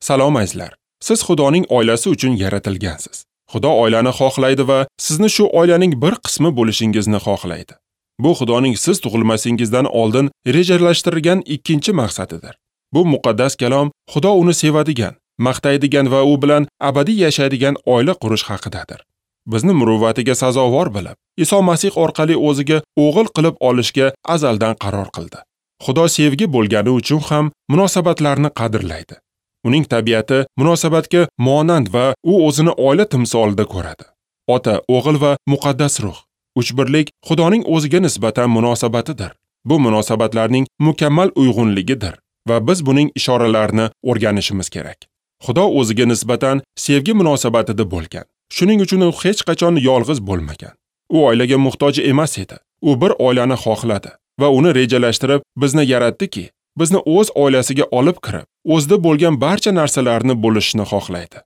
Salom azizlar. Siz Xudoning oilasi uchun yaratilgansiz. Xudo oilani xohlaydi va sizni shu oilaning bir qismi bo'lishingizni xohlaydi. Bu Xudoning siz tug'ilmasingizdan oldin rejalashtirilgan ikkinchi maqsadidir. Bu muqaddas kalom Xudo uni sevadigan, maqtaydigan va u bilan abadiy yashaydigan oila qurish haqidadir. Bizni muruvvatiga sazovor bilib, Iso Masih orqali o'ziga o'g'il qilib olishga azaldan qaror qildi. Xudo sevgi bo'lgani uchun ham munosabatlarni qadrlaydi. Uning tabiati munosabatga monand va u o'zini oila timsolida ko'radi. Ota, o'g'il va muqaddas ruh. Uchbirlik Xudoning o'ziga nisbatan munosabatidir. Bu munosabatlarning mukammal uyg'unligidir va biz buning ishoralarini o'rganishimiz kerak. Xudo o'ziga nisbatan sevgi munosabatida bo'lgan. Shuning uchun u hech qachon yolg'iz bo'lmagan. U oilaga muhtoj emas edi. U bir oilani xohladi va uni rejalashtirib bizni yaratdiki, bizni o'z oilasiga olib kirib, o'zida bo'lgan barcha narsalarni bo'lishni xohlaydi.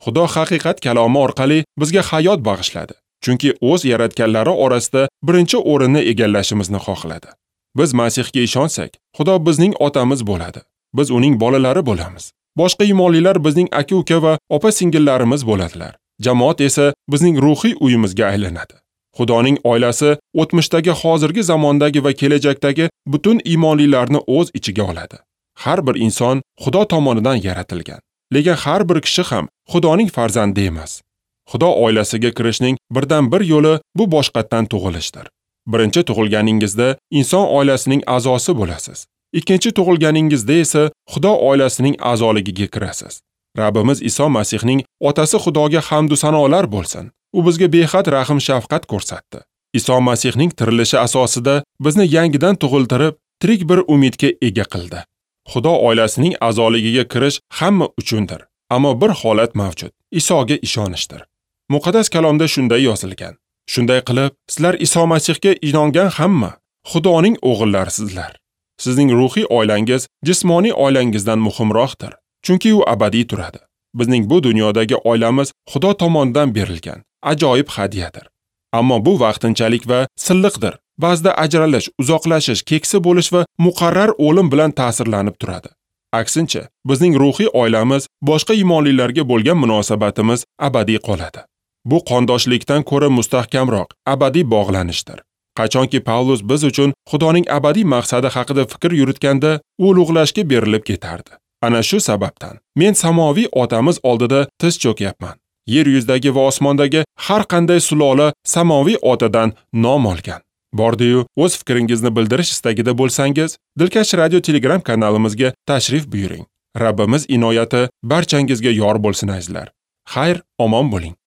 Xudo haqiqat kalomi orqali bizga hayot bag'ishladi. Chunki o'z yaratganlari orasida birinchi o'rinni egallashimizni xohladi. Biz Masihga ishonsak, Xudo bizning otamiz bo'ladi. Biz uning bolalari bo'lamiz. Boshqa iymonlilar bizning aka-uka va opa-singillarimiz bo'ladilar. Jamoat esa bizning ruhiy uyimizga aylanadi. Xudoning oilasi o'tmishdagi, hozirgi zamondagi va kelajakdagi butun iymonlilarni o'z ichiga oladi. Har bir inson Xudo tomonidan yaratilgan. Lekin har bir kishi ham Xudoning farzandi emas. Xudo oilasiga kirishning birdan bir yo'li bu boshqatdan tug'ilishdir. Birinchi tug'ilganingizda inson oilasining a'zosi bo'lasiz. Ikkinchi tug'ilganingizda esa Xudo oilasining a'zoligiga kirasiz. Rabbimiz Iso Masihning otasi Xudoga hamd va sanolar bo'lsin. U bizga behad rahm-shafqat ko'rsatdi. Iso Masihning tirilishi asosida bizni yangidan tug'iltirib, tirik bir umidga ega qildi. Xudo oilasining a'zoligiga kirish hamma uchundir. Ammo bir holat mavjud. Isoga ishonishdir. Muqaddas kalomda shunday yozilgan. Shunday qilib, sizlar Iso Masihga inongan hamma Xudoning o'g'illarisizlar. Sizning ruhiy oilangiz jismoniy oilangizdan muhimroqdir, chunki u abadiy turadi. Bizning bu dunyodagi oilamiz Xudo tomonidan berilgan ajoyib hadyadir. Ammo bu vaqtinchalik va silliqdir. Ba'zida ajralish, uzoqlashish, keksa bo'lish va muqarrar o'lim bilan ta'sirlanib turadi. Aksincha, bizning ruhiy oilamiz, boshqa iymonlilarga bo'lgan munosabatimiz abadiy qoladi. Bu qondoshlikdan ko'ra mustahkamroq, abadiy bog'lanishdir. Qachonki Pavlus biz uchun Xudoning abadiy maqsadi haqida fikr yuritganda, u ulug'lashga berilib ketardi. Ana shu sababdan men samoviy otamiz oldida tiz cho'kyapman. Yer yuzidagi va osmondagi har qanday sulola samoviy otadan nom olgan. Bordi-yu, o'z fikringizni bildirish istagida bo'lsangiz, Dilkash Radio Telegram kanalimizga tashrif buyuring. Rabbimiz inoyati barchangizga yor bo'lsin azizlar. Xayr, omon bo'ling.